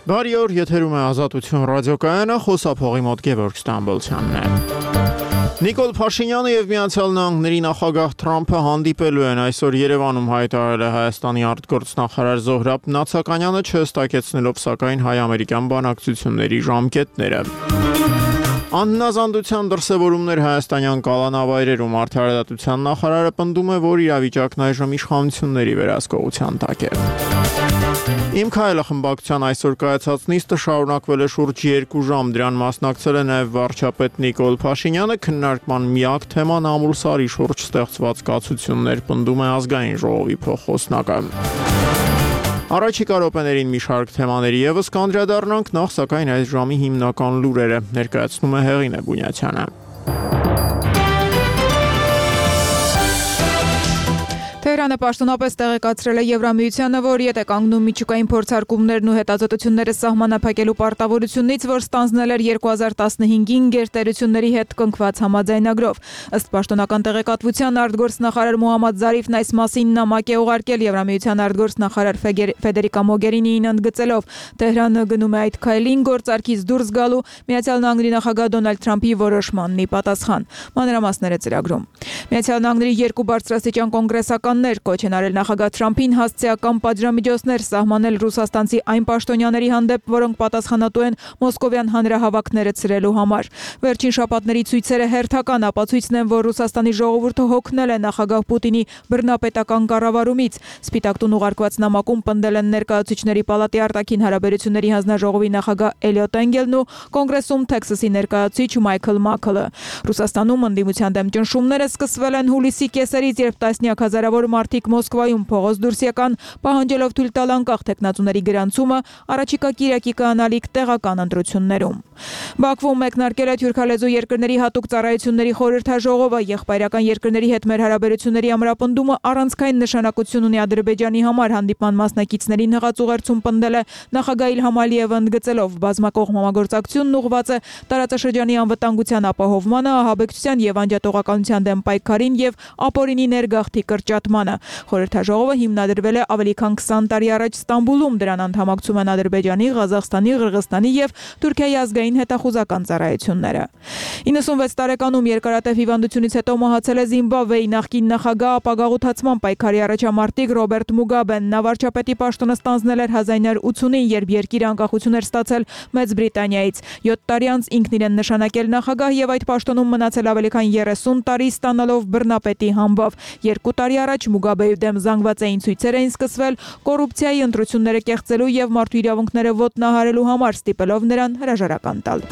Բարի օր, եթերում է Ազատություն ռադիոկայանը, խոսափողի մոտ Գևորգ Ստամբոլցյանն է։ Նիկոլ Փաշինյանը եւ Միացյալ Նահանգների նախագահ Թրամփը հանդիպելու են այսօր Երևանում, հայտարարել է Հայաստանի արտգործնախարար Զոհրաբ Նացականյանը, չհստակեցնելով սակայն հայ-ամերիկյան բանակցությունների ժամկետները։ Անհնազանդության դրսևորումներ հայաստանյան կալանավայրերում արդարադատության նախարարը պնդում է, որ իրավիճակն այժմ իշխանությունների վերահսկողության տակ է։ Իմ քայլը խմբակցության այսօր կայացած նիստը շարունակվել է շուրջ 2 ժամ, դրան մասնակցել է նաև վարչապետ Նիկոլ Փաշինյանը, քննարկման միակ թեման Ամուլսարի շուրջ ստեղծված կացություններ, պնդում է ազգային ժողովի փոխխոսնակը։ Առաջիկա րոպեներին մի շարք թեմաների ևս կանդրադառնանք, նախ սակայն այս ժամի հիմնական լուրերը ներկայացնում է Հեղինե Բունյացյանը։ Թեհրանը պաշտոնապես տեղեկացրել է Եվրամիությանը, որ եթե կանգնում միջուկային փորձարկումներն ու հետազոտությունները սահմանափակելու պարտավորությունից, որ ստանձնել էր 2015-ին գերտերությունների հետ կնքված համաձայնագրով։ Ըստ պաշտոնական տեղեկատվության արտգործնախարար Մոհամմադ Զարիֆն այս մասին նամակ է ուղարկել Եվրամիության արտգործնախարար Ֆեդերիկա Մոգերինիին ընդգծելով, Թեհրանը գնում է այդ քայլին գործարքից դուրս գալու Միացյալ Նահանգների նախագահ Դոնալդ Թրամփի որոշմանն ի պատասխան։ Մանրամասները ծրագրում։ Միացյալ Նահանգների 2 բարձրաստիճան կոնգրեսականներ կոչ են արել նախագահ Թրամփին հասցեական պատժամիջոցներ սահմանել ռուսաստանցի այն պաշտոնյաների հանդեպ, որոնք պատասխանատու են մոսկովյան հանրահավաքները ցրելու համար։ Վերջին շաբաթների ցույցերը հերթական ապացույցն են, որ Ռուսաստանի ժողովուրդը հոգնել է նախագահ Պուտինի բռնապետական կառավարումից։ Սպիտակ տուն ուղարկված նամակում պնդել են ներկայացուցիչների պալատի արտաքին հարաբերությունների հանձնաժողովի նախագահ Էլիոտ Էնգելն ու կոնգրեսում Թեքսասի ներկայացուցիչ Մայքլ Մաքլը։ Ռուսաստանում ընդդիմության դեմ ճնշումները սկսվել են հուլիսի կեսերից, երբ տասնյակ հազարավոր մարդիկ Մոսկվայում փողոց դուրս եկան, պահանջելով թույլ տալ անկախ թեկնածուների գրանցումը առաջիկա կիրակի կանալիք տեղական ընտրություններում։ Բաքվում մեկնարկել է թուրքալեզու երկրների հատուկ ծառայությունների խորհրդաժողովը, եղբայրական երկրների հետ մեր հարաբերությունների ամրապնդումը առանցքային նշանակություն ունի Ադրբեջանի համար, հանդիպման մասնակիցներին հղած ուղերձում պնդել է նախագահ Իլհամ Ալիևը, ընդգծելով բազմակողմ համագործակցությունն ուղղված է տարածաշրջանի անվտանգության ապահովմանը, ահաբեկչության եւ անջատողականության դեմ պայքարին եւ ապօրինի ներգաղթի կրճատմանը։ Խորհրդաժողովը հիմնադրվել է ավելի քան 20 տարի առաջ Ստամբուլում, դրան անդամակցում են Ադրբեջանի, Ղազախստանի, Ղրղստանի եւ Թուրքիայի ազգային հետախուզական ծառայությունները։ 96 տարեկանում երկարատև հիվանդությունից հետո մահացել է Զիմբաբվեի նախկին նախագահ, ապագաղութացման պայքարի առաջամարտիկ Ռոբերտ Մուգաբեն։ Նա վարչապետի պաշտոնը ստանձնել էր 1980-ին, երբ երկիրը անկախություն էր ստացել Մեծ Բրիտանիայից։ 7 տարի անց ինքն իրեն նշանակել նախագահ եւ այդ պաշտոնում մնացել ավելի քան 30 տարի, ստանալով բռնապետի համբավ։ 2 տարի առաջ Մուգաբեի դեմ զանգվածային ցույցեր էին սկսվել կոռուպցիայի ընտրությունները կեղծելու եւ մարդու իրավունքները ոտնահարելու համար, ստիպելով նրան հրաժարական տալ։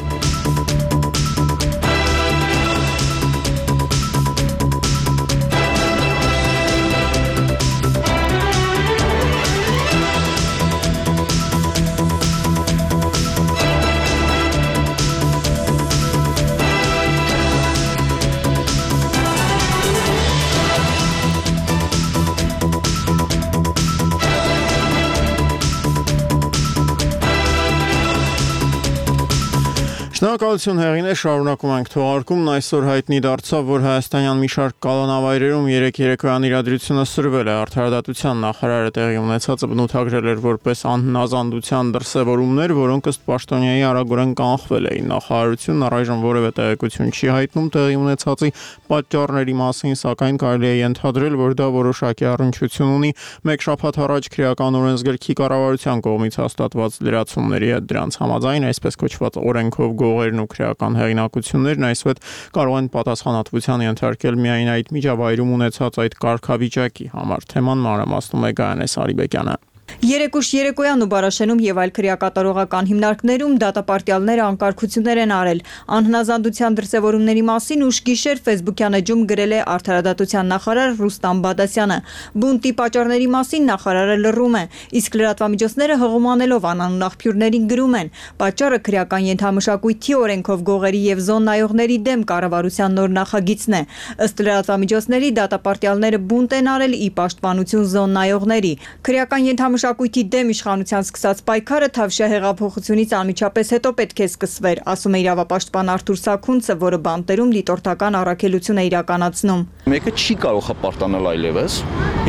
Շնորհակալություն Հեղինե, շարունակում ենք թողարկումն, այսօր հայտնի դարձավ, որ հայաստանյան մի շարք կալանավայրերում երեկոյան իրադրությունը սրվել է, արդարադատության նախարարը տեղի ունեցածը բնութագրել էր որպես անհնազանդության դրսևորումներ, որոնք ըստ պաշտոնյայի արագորեն կանխվել էին։ Նախարարությունն առայժմ որևէ տեղեկություն չի հայտնում տեղի ունեցածի պատճառների մասին, սակայն կարելի է ենթադրել, որ դա որոշակի առնչություն ունի մեկ շաբաթ առաջ քրեական օրենսգրքի կառավարության կողմից հաստատված լրացումների հետ, դրանց համաձայն այսպես կոչված օրենքով գողերն ու քրեական հեղինակություններն այսուհետ կարող են պատասխանատվության ենթարկել միայն այդ միջավայրում ունեցած այդ կարգավիճակի համար։ Թեման մանրամասնում է Գայանե Սարիբեկյանը։ Երեկուշ երեկոյան ու Բարաշենում եւ այլ քրեակատարողական հիմնարկներում դատապարտյալները անկարգություններ են արել։ Անհնազանդության դրսևորումների մասին ուշ գիշեր Facebook-յան էջում գրել է արդարադատության նախարար Ռուստամ Բադասյանը։ Բունտի պատճառների մասին նախարարը լռում է, իսկ լրատվամիջոցները հղումանելով անանուն աղբյուրներին գրում են. պատճառը քրեական ենթամշակույթի օրենքով գողերի եւ զոն նայողների դեմ կառավարության նոր նախագիծն է։ Ըստ լրատվամիջոցների դատապարտյալները բունտ են արել ի պաշտպանություն զոն նայողների։ Քրեական մշակույթի դեմ իշխանության սկսած պայքարը Թավշյա հեղափոխությունից անմիջապես հետո պետք է սկսվեր, ասում է իրավապաշտպան Արթուր Սաքունցը, որը բանտերում դիտորդական առաքելություն է իրականացնում։ Մեկը չի կարող հպարտանալ այլևս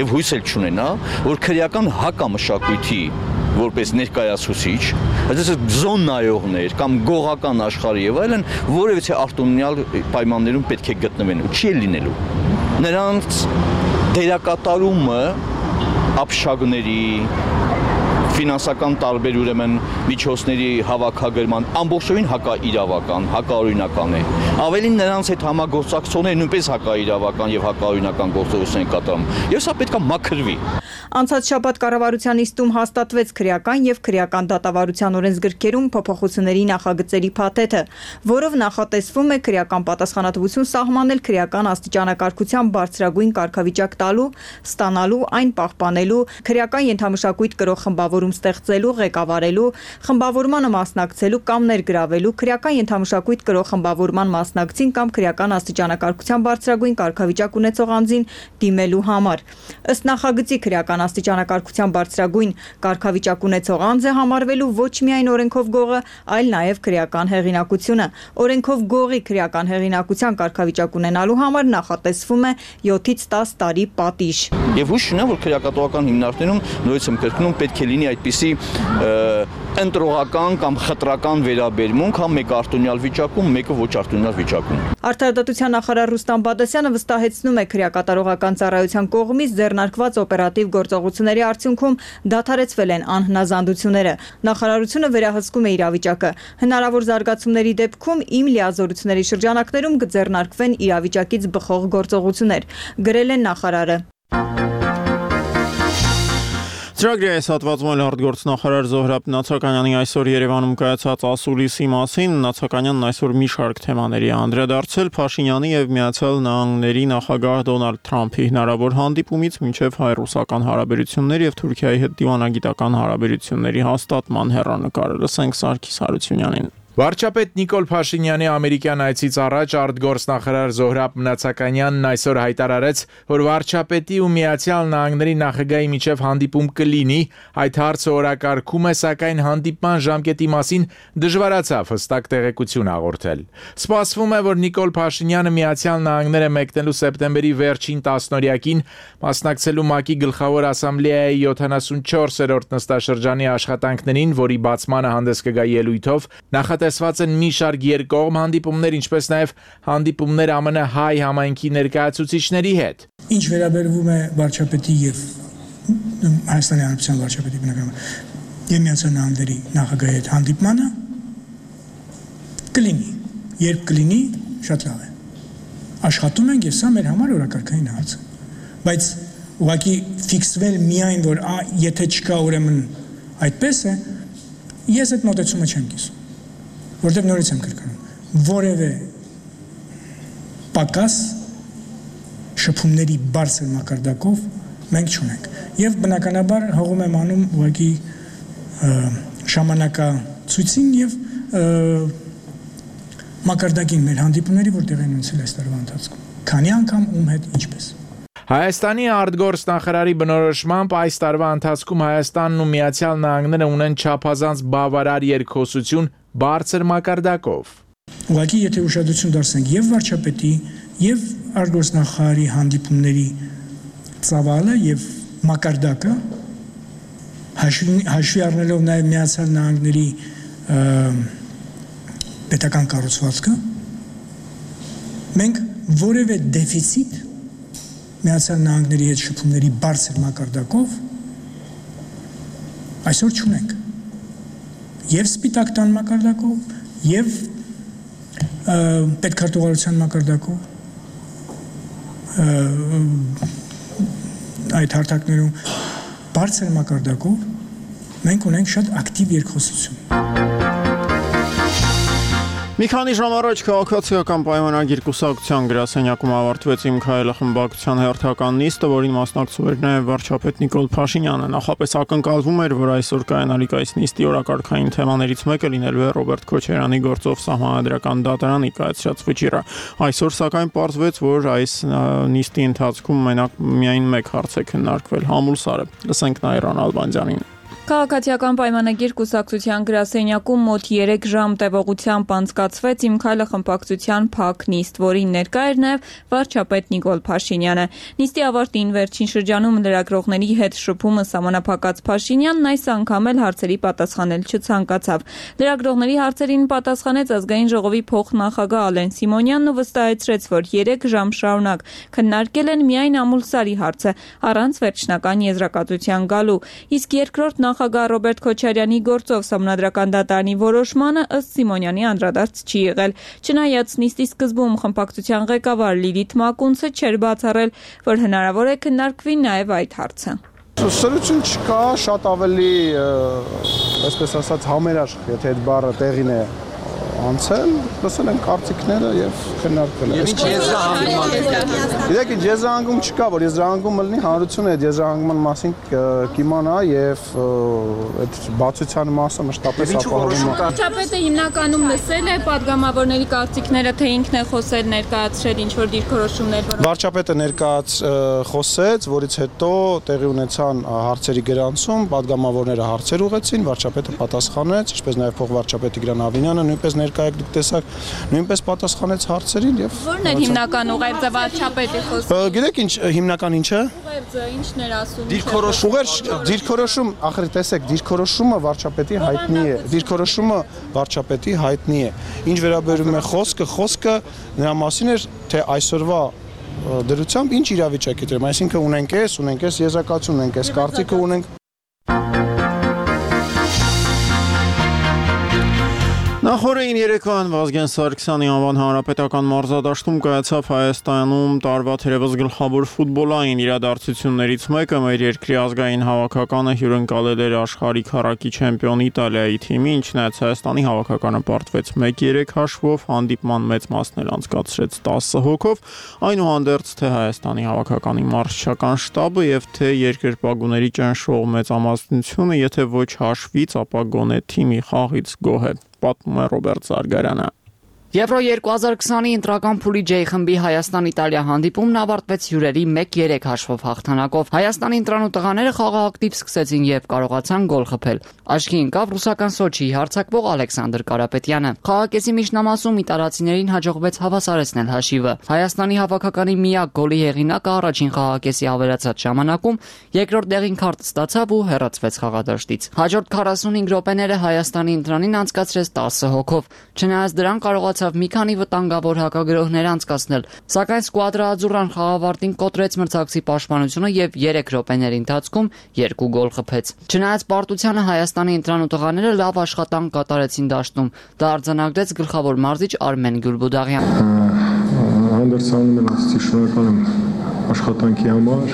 եւ հույս էլ չունենա, որ քրեական հակամշակույթի որպես ներկայացուցիչ, այսինքն զոննայողներ կամ գողական աշխարհի եւ այլն որևիցե արտոնյալ պայմաններում պետք է գտնվեն ու չի լինելու։ Նրանց դերակատարումը ապշագների ֆինանսական տարբեր ուրեմն միջոցների հավաքագրման ամբողջովին հակաիրավական, հակաօրինական է։ Ավելին նրանց հետ համագործակցողները նույնպես հակաիրավական եւ հակաօրինական գործողություն են կատարում։ Եվ սա պետք է մաքրվի։ Անցած շաբաթ կառավարության նիստում հաստատվեց քրեական եւ քրեական դատավարության օրենսգրքերում փոփոխությունների նախագծերի փաթեթը, որով նախատեսվում է քրեական պատասխանատվություն սահմանել քրեական աստիճանակարգության բարձրագույն կարգավիճակ տալու, ստանալու, այն պահպանելու, քրեական ենթամշակույթ կրող խմբավորում ստեղծելու, ղեկավարելու, խմբավորմանը մասնակցելու կամ ներգրավելու, քրեական ենթամշակույթ կրող խմբավորման մասնակցին կամ քրեական աստիճանակարգության բարձրագույն կարգավիճակ ունեցող անձին դիմելու համար։ Ըստ նախագծի քրեական աստիճանակարգության բարձրագույն կարգավիճակ ունեցող անձ է համարվելու ոչ միայն օրենքով գողը, այլ նաև քրեական հեղինակությունը։ Օրենքով գողի քրեական հեղինակության կարգավիճակ ունենալու համար նախատեսվում է 7-ից 10 տարի պատիժ։ Եվ հույս ունեմ, որ քրեակատվական հիմնարկներում նորից եմ կրկնում պետք է լինի այդպիսի ընտրողական կամ խտրական վերաբերմունք, համ մեկը արտոնյալ վիճակում, մեկը ոչ արտոնյալ վիճակում։ Արդարադատության նախարար Ռուստամ Բադասյանը վստահեցնում է քրեակատարողական ծառայության կողմից ձեռնարկված օպերատիվ գործողությունների արդյունքում դադարեցվել են անհնազանդությունները։ Նախարարությունը վերահսկում է իրավիճակը։ Հնարավոր զարգացումների դեպքում իմ լիազորությունների շրջանակներում կձեռնարկվեն իրավիճակից բխող գործողություններ, գրել է նախարարը։ Ծրագրի այս հատվածում էլ արտգործնախարար Զոհրաբ Նացականյանի այսօր Երևանում կայացած ասուլիսի մասին Նացականյանն այսօր մի շարք թեմաների է անդրադարձել Փաշինյանի եւ Միացյալ Նահանգների նախագահ Դոնալդ Թրամփի հնարավոր հանդիպումից մինչև հայ-ռուսական հարաբերություններ եւ Թուրքիայի հետ դիվանագիտական հարաբերությունների հաստատման հեռանկարը։ Լսենք Սարգիս Հարությունյանին։ Վարչապետ Նիկոլ Փաշինյանի ամերիկյան այցից առաջ արտգործնախարար Զոհրաբ Նացականյանն այսօր հայտարարեց, որ վարչապետի ու Միացյալ Նահանգների նախագահի միջև հանդիպում կլինի, այդ հարցը օրակարգում է, սակայն հանդիպման ժամկետի մասին դժվարացավ հստակ տեղեկություն հաղորդել։ Սպասվում է, որ Նիկոլ Փաշինյանը Միացյալ Նահանգները մեկնելու սեպտեմբերի վերջին տասնօրյակին մասնակցելու ՄԱԿ-ի գլխավոր ասամբլեայի 74-րդ նստաշրջանի աշխատանքներին, որի բացմանը հանդես կգա ելույթով, Տեսված են մի շարք երկկողմ հանդիպումներ, ինչպես նաև հանդիպումներ ԱՄՆ հայ համայնքի ներկայացուցիչների հետ։ Ինչ վերաբերվում է վարչապետի եւ Հայաստանի Հանրապետության վարչապետի բնականաբար եւ Միացյալ Նահանգների նախագահի հետ հանդիպմանը կլինի, երբ կլինի, շատ լավ է։ Աշխատում ենք, եւ սա մեր համար օրակարգային հարց է։ Բայց ուղղակի ֆիքսվել միայն, որ եթե չկա, ուրեմն այդպես է, ես այդ մոտեցումը չեմ կիսում։ Որտեղ նորից եմ կրկնում, որևէ պակաս շփումների բարձր մակարդակով մենք չունենք։ Եվ բնականաբար հողում եմ անում ուղղակի ժամանակացույցին եւ մակարդակին մեր հանդիպումների, որտեղ են ունեցել այս տարվա ընթացքում։ Քանի անգամ ում հետ ինչպես։ Հայաստանի արտգործնախարարի բնորոշմամբ այս տարվա ընթացքում Հայաստանն ու Միացյալ Նահանգները ունեն չափազանց բավարար երկխոսություն բարձր մակարդակով։ Ուղղակի եթե ուշադրություն դարձնենք եւ վարչապետի եւ արտգործնախարարի հանդիպումների ծավալը եւ մակարդակը հաշվի առնելով նաեւ Միացյալ Նահանգների պետական կառուցվածքը, մենք որևէ դեֆիցիտ Միացյալ Նահանգների հետ շփումների բարձր մակարդակով այսօր չունենք։ Եվ սպիտակ տան մակարդակով, եւ պետքարտուղարության մակարդակով այդ հարթակներում բարձր մակարդակով մենք ունենք շատ ակտիվ երկխոսություն։ Մի քանի ժամ առաջ քաղաքացիական պայմանագիր կուսակցության գրասենյակում ավարտվեց Իմ քայլը խմբակցության հերթական նիստը, որին մասնակցում էր նաև վարչապետ Նիկոլ Փաշինյանը։ Նախապես ակնկալվում էր, որ այսօր կայանալիք այս նիստի օրակարգային թեմաներից մեկը լինելու է Ռոբերտ Քոչարյանի գործով Սահմանադրական դատարանի կայացրած վճիռը։ Այսօր սակայն պարզվեց, որ այս նիստի ընթացքում միայն մեկ հարց է քննարկվել՝ համուլսարը։ Լսենք Նայիրան Ալբանդյանին։ Քաղաքացիական պայմանագիր կուսակցության գրասենյակում մոտ 3 ժամ տևողությամբ անցկացվեց «Իմ քայլը» խմբակցության փակ նիստ, որին ներկա էր նաև վարչապետ Նիկոլ Փաշինյանը։ Նիստի ավարտին վերջին շրջանում լրագրողների հետ շփումը սահմանափակած Փաշինյանն այս անգամ էլ հարցերի պատասխանել չցանկացավ։ Լրագրողների հարցերին պատասխանեց Ազգային ժողովի փոխնախագահ Ալեն Սիմոնյանն ու վստահեցրեց, որ 3 ժամ շարունակ քննարկել են միայն Ամուլսարի հարցը, առանց վերջնական եզրակացության գալու։ Իսկ երկրորդ նախագահ Ռոբերտ Քոչարյանի գործով Սահմանադրական դատարանի որոշմանը ըստ Սիմոնյանի անդրադարձ չի եղել։ Չնայած նիստի սկզբում խմբակցության ղեկավար Լիլիթ Մակունցը չէր բացառել, որ հնարավոր է քննարկվի նաև այդ հարցը։ Սրություն չկա, շատ ավելի, այսպես ասած, համերաշխ, եթե այդ բառը տեղին է անցել, լսել են կարծիքները եւ քննարկվել են։ Գիտեք, եզրահանգում չկա, որ եզրահանգումը լինի, հանրությունը այդ եզրահանգման մասին կիմանա եւ այդ բացության մասը մշտապես ապահովում է։ Վարչապետը հիմնականում լսել է падգամավորների կարծիքները, թե ինքն է խոսել, ներկայացրել ինչ-որ դիրքորոշումներ։ Վարչապետը խոսեց, որից հետո տեղի ունեցան հարցերի գրանցում, падգամավորները հարցեր ուղղեցին, վարչապետը պատասխանեց, ինչպես նաեւ փոխվարչապետի Գրան Ավինյանը նույնպես ներկայ եք տեսակ, նույնպես պատասխանեց հարցերին եւ Որն էր հիմնական ուղերձը վարչապետի խոսքը։ Գիտեք ինչ հիմնական ինչ է։ Ուղերձը ինչն էր ասում։ Դիրքորոշում, ախր տեսեք, դիրքորոշումը վարչապետի հայտնի է։ Դիրքորոշումը վարչապետի հայտնի է։ Ինչ վերաբերում է խոսքը նրա մասին էր, թե այսօրվա դրությամբ ինչ իրավիճակ է դրում, այսինքն ունենք եզրակացություն, ունենք կարծիքը ունենք։ Նախորդին երեկոյան Վազգեն Սարգսյանի անվան հանրապետական մարզադաշտում կայացավ Հայաստանում տարվա թերևս գլխավոր ֆուտբոլային իրադարձություններից մեկը մեր երկրի ազգային հավաքականը հյուրընկալել էր աշխարհի քառակի չեմպիոն Իտալիայի թիմի, ինչնայած Հայաստանի հավաքականը պարտվեց 1-3 հաշվով, հանդիպման մեծ մասն էլ անցկացրեց 10 հոգով, այնուհանդերձ թե Հայաստանի հավաքականի մարզչական շտաբը եւ թե երկրպագուների ճնշող մեծամասնությունը, եթե ոչ հաշվից, ապա գոնե թիմի խաղից գոհ է։ Պատմում է Ռոբերտ Զարգարյանը։ Եվրո 2020-ի ընտրական փուլի J խմբի Հայաստան-Իտալիա հանդիպումն ավարտվեց հյուրերի 1-3 հաշվով հաղթանակով։ Հայաստանի ընտրանու տղաները խաղը ակտիվ սկսեցին եւ կարողացան գոլ խփել։ Աչքի ընկավ ռուսական Սոչիի հարձակվող Ալեքսանդր Կարապետյանը։ Խաղակեսի միջնամասում իտալացիներին հաջողվեց հավասարեցնել հաշիվը։ Հայաստանի հավաքականի միակ գոլի հեղինակը առաջին խաղակեսի ավելացած ժամանակում երկրորդ դեղին քարտ ստացավ ու հեռացվեց խաղադաշտից։ Հաջորդ 45 րոպեները Հայաստանի ընտրանին անցկացրեց 10 հոգով։ Չնայած դրան կարողացավ մի քանի վտանգավոր հակագրոհներ անցկացնել, սակայն Սկուադրա Աձուրան խաղավարտին կոտրեց մրցակցի պաշտպանությունը եւ 3 րոպեների ընթացքում 2 գոլ խփեց։ Չնայած պարտությանը Հայաստանի ընտրանու տղաները լավ աշխատանք կատարեցին դաշտում։ Դա արձանագրեց գլխավոր մարզիչ Արմեն Գյուլբուդաղյանը։ Հանդերձանում եմ ասացի շնորհակալ եմ աշխատանքի համար։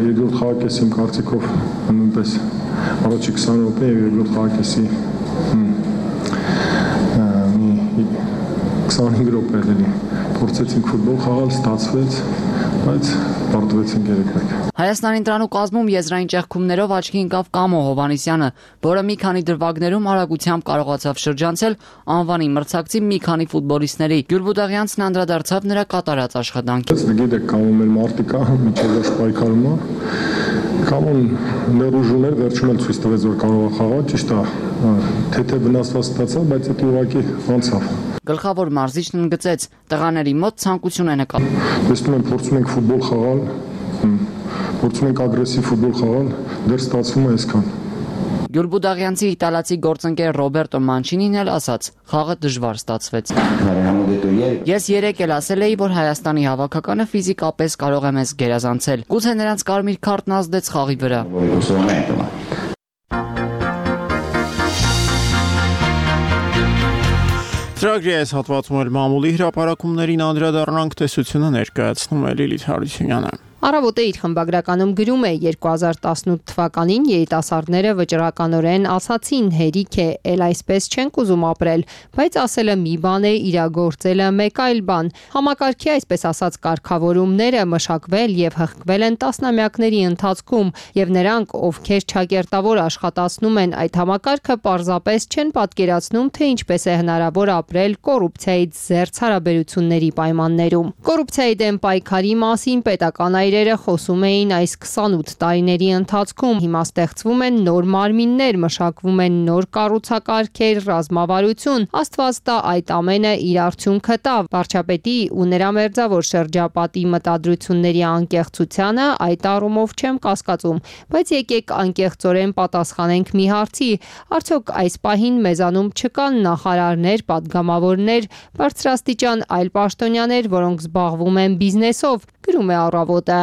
Երկրորդ խաղակեսի իմ կարծիքով նույնպես առաջի 20 րոպե եւ երկրորդ խաղակեսի 25 րոպե էլի փորձեցինք ֆուտբոլ խաղալ, ստացվեց, բայց պարտվեցինք 3-1։ Հայաստանի ընտրանու կազմում եզրային ճեղքումներով աչքի ընկավ Կամո Հովանեսյանը, որը մի քանի դրվագներում արագությամբ կարողացավ շրջանցել անվանի մրցակցի մի քանի ֆուտբոլիստների։ Գյուլբուդաղյանցն անդրադարձավ նրա կատարած աշխատանքին։ Գիտեք, Կամոն մեր մարտիկա, միջև ոչ պայքարում է։ Կամոն ներուժում էր, վերջում էլ ցույց տվեց, որ կարող է խաղալ, ճիշտ է, թե վնասված ստացավ, բայց դա ուղղակի անցավ։ Գլխավոր մարզիչն ընդգծեց, տղաների մոտ ցանկություն է նկատվում։ Տեսնում եմ, փորձում ենք ֆուտբոլ խաղալ, փորձում ենք ագրեսիվ ֆուտբոլ խաղալ, դեռ ստացվում է այսքան։ Գյուլբուդաղյանցի իտալացի գործընկեր Ռոբերտո Մանչինին էլ ասաց, խաղը դժվար ստացվեց։ Ես 3 էլ ասել էի, որ Հայաստանի հավաքականը ֆիզիկապես կարող է մեզ գերազանցել։ Գուցե նրանց կարմիր քարտն ազդեց խաղի վրա։ Ծրագրի այս հատվածում էլ մամուլի հրապարակումներին անդրադառնանք, տեսությունը ներկայացնում է Լիլիթ Հարությունյանը։ Առավոտը իր խմբագրականում գրում է 2018 թվականին երիտասարդները վճռականորեն ասացին հերիք է, էլ այսպես չենք ուզում ապրել, բայց ասելը մի բան է, իրագործելը մեկ այլ բան։ Համակարգի այսպես ասած կարգավորումները մշակվել եւ հղկվել են տասնամյակների ընթացքում եւ նրանք, ովքեր չակերտավոր աշխատացնում են այդ համակարգը, պարզապես չեն պատկերացնում, թե ինչպես է հնարավոր ապրել կոռուպցիայից զերծ հարաբերությունների պայմաններում։ Կոռուպցիայի դեմ պայքարի մասին պետական հայրերը խոսում էին այս 28 տարիների ընթացքում։ Հիմա ստեղծվում են նոր մարմիններ, մշակվում են նոր կառուցակարգեր, ռազմավարություն։ Աստված տա այդ ամենը իր արդյունքը տա։ Վարչապետի ու նրա մերձավոր շրջապատի մտադրությունների անկեղծությանը այդ առումով չեմ կասկածում, բայց եկեք անկեղծորեն պատասխանենք մի հարցի. արդյոք այս պահին մեզանում չկան նախարարներ, պատգամավորներ, բարձրաստիճան այլ պաշտոնյաներ, որոնք զբաղվում են բիզնեսով, գրում է Առավոտը։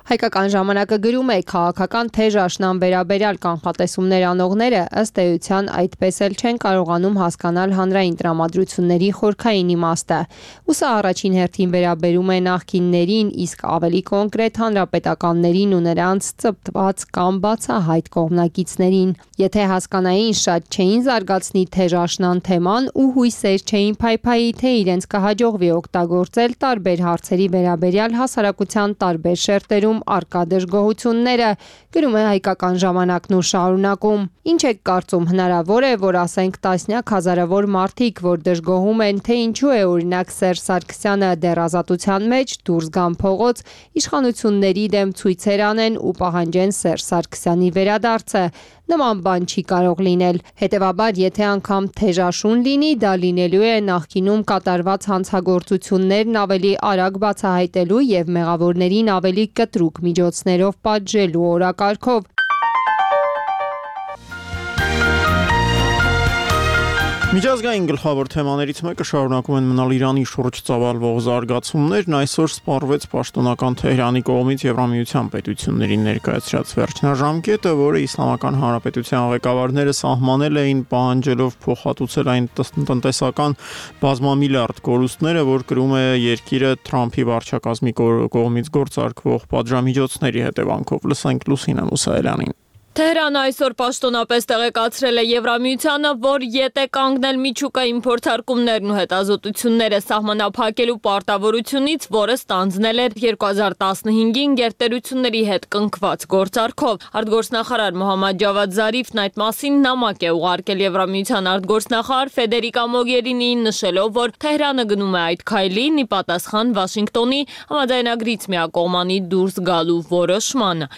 Հայկական ժամանակը գրում է քաղաքական թեժ աշնան վերաբերյալ կանխատեսումներ անողները ըստ էության այդպես էլ չեն կարողանում հասկանալ հանրային տրամադրությունների խորքային իմաստը։ Ու սա առաջին հերթին վերաբերում է նախկիններին, իսկ ավելի կոնկրետ հանրապետականներին ու նրանց ծպտված կամ բացահայտ կողմնակիցներին։ Եթե հասկանային, շատ չէին զարգացնի թեժ աշնան թեման ու հույսեր չէին փայփայի, թե իրենց կհաջողվի օգտագործել տարբեր հարցերի վերաբերյալ հասարակության տարբեր շերտերում արկա դժգոհությունները, գրում է Հայկական ժամանակն ու շարունակում։ Ինչ եք կարծում, հնարավոր է, որ ասենք տասնյակ հազարավոր մարդիկ, որ դժգոհում են, թե ինչու է օրինակ Սերժ Սարգսյանը դեռ ազատության մեջ, դուրս գան փողոց, իշխանությունների դեմ ցույցեր անեն ու պահանջեն Սերժ Սարգսյանի վերադարձը։ Նման բան չի կարող լինել։ Հետևաբար, եթե անգամ թեժաշուն լինի, դա լինելու է նախկինում կատարված հանցագործություններն ավելի արագ բացահայտելու եւ մեղավորներին ավելի կտրուկ միջոցներով պատժելու օրակարգով։ Միջազգային գլխավոր թեմաներից մեկը շարունակում են մնալ Իրանի շուրջ ծավալվող զարգացումներն, այսօր սպառվեց պաշտոնական Թեհրանի կողմից Եվրամիության պետություններին ներկայացրած վերջնաժամկետը, որը Իսլամական Հանրապետության ղեկավարները սահմանել էին պահանջելով փոխհատուցել այն տնտեսական բազմամիլիարդ կորուստները, որ կրում է երկիրը Թրամփի վարչակազմի կողմից գործարկվող պատժամիջոցների հետևանքով։ Լսենք Լուսինե Մուսայելյանին։ Թեհրանը այսօր պաշտոնապես տեղեկացրել է Եվրամիությանը, որ ետ է կանգնել միջուկային փորձարկումներն ու հետազոտությունները սահմանափակելու պարտավորությունից, որը ստանձնել էր 2015-ին գերտերությունների հետ կնքված գործարքով։ Արտգործնախարար Մոհամմադ Ջավադ Զարիֆն այդ մասին նամակ է ուղարկել Եվրամիության արտգործնախարար Ֆեդերիկա Մոգերինիին, նշելով, որ Թեհրանը գնում է այդ քայլին ի պատասխան Վաշինգտոնի համաձայնագրից միակողմանի դուրս գալու որոշմանը։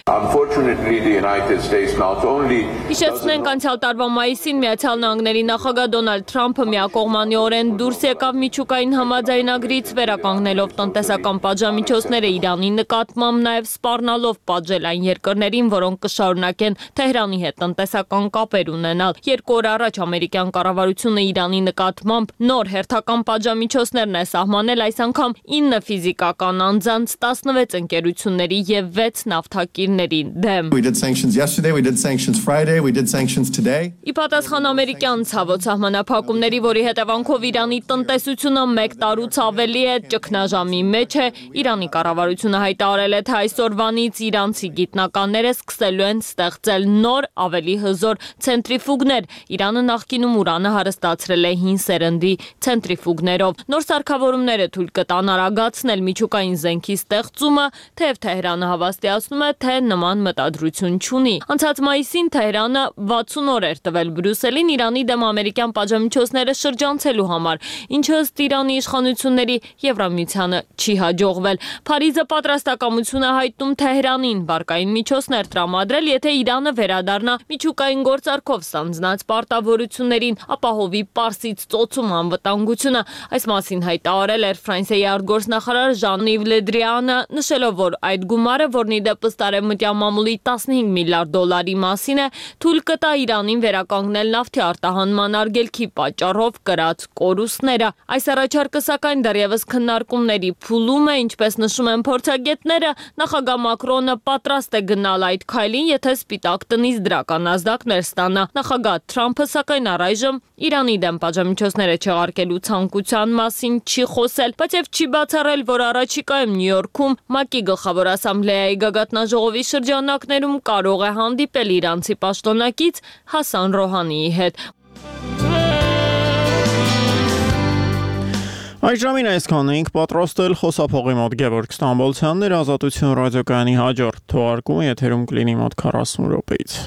Հիշեցնենք, անցյալ տարվա մայիսին Միացյալ Նահանգների նախագահ Դոնալդ Թրամփը միակողմանիորեն դուրս եկավ միջուկային համաձայնագրից, վերականգնելով տնտեսական պատժամիջոցները Իրանի նկատմամբ, նաև սպառնալով պատժել այն երկրներին, որոնք կշարունակեն Թեհրանի հետ տնտեսական կապեր ունենալ։ 2 օր առաջ ամերիկյան կառավարությունը Իրանի նկատմամբ նոր հերթական պատժամիջոցներն է սահմանել, այս անգամ 9 ֆիզիկական անձանց, 16 ընկերությունների եւ 6 նավթակիրների դեմ։ We did sanctions Friday, we did sanctions today. Ի պատասխան ամերիկյան ցավոտ սահմանափակումների, որի հետևանքով Իրանի տնտեսությունը 1 տարուց ավելի է ճգնաժամի մեջ է, Իրանի կառավարությունը հայտարարել է, թե այսօրվանից իրանցի գիտնականները սկսելու են ստեղծել նոր, ավելի հզոր ցենտրիֆուգներ։ Իրանը նախկինում ուրանը հարստացրել է հին սերնդի ցենտրիֆուգներով։ Նոր սարքավորումները թույլ կտան արագացնել միջուկային զենքի ստեղծումը, թեև Թեհրանը հավաստիացնում է, թե նման մտադրություն չունի։ Անցած մայիսին Թեհրանը 60 օր էր տվել Բրյուսելին Իրանի դեմ ամերիկյան պատժամիջոցները շրջանցելու համար, ինչը ըստ Իրանի իշխանությունների Եվրամիությանը չի հաջողվել։ Փարիզը պատրաստակամություն է հայտնում Թեհրանին բարկային միջոցներ տրամադրել, եթե Իրանը վերադառնա միջուկային գործարքով ստանձնած պարտավորություններին, ապահովի Պարսից ծոցում անվտանգությունը։ Այս մասին հայտարարել էր Ֆրանսիայի արտգործնախարար Ժան-Իվ Լեդրիանը, նշելով, որ այդ գումարը, որն ի դեպ ըստ արևմտյան մամուլի 15 միլիարդ դոլարի մասին է, թույլ կտա Իրանին վերականգնել նավթի արտահանման արգելքի պատճառով կրած կորուստները։ Այս առաջարկը սակայն դեռևս քննարկումների փուլում է, ինչպես նշում են փորձագետները, նախագահ Մակրոնը պատրաստ է գնալ այդ քայլին, եթե Սպիտակ տնից դրական ազդակներ ստանա։ Նախագահ Թրամփը սակայն առայժմ Իրանի դեմ պատժամիջոցները չեղարկելու ցանկության մասին չի խոսել, բայց եւ չի բացառել, որ առաջիկայում Նյու Յորքում ՄԱԿ-ի գլխավոր ասամբլեայի գագաթնաժողովի շրջանակներում կարող է հանդիպել իրանցի պաշտոնակից Հասան Ռոհանիի հետ։ Այս ժամին այսքան էինք պատրաստել խոսափողի մոտ Գևորգ Ստամբոլցյանն էր, Ազատություն ռադիոկայանի հաջորդ թողարկումը եթերում կլինի մոտ 40 րոպեից։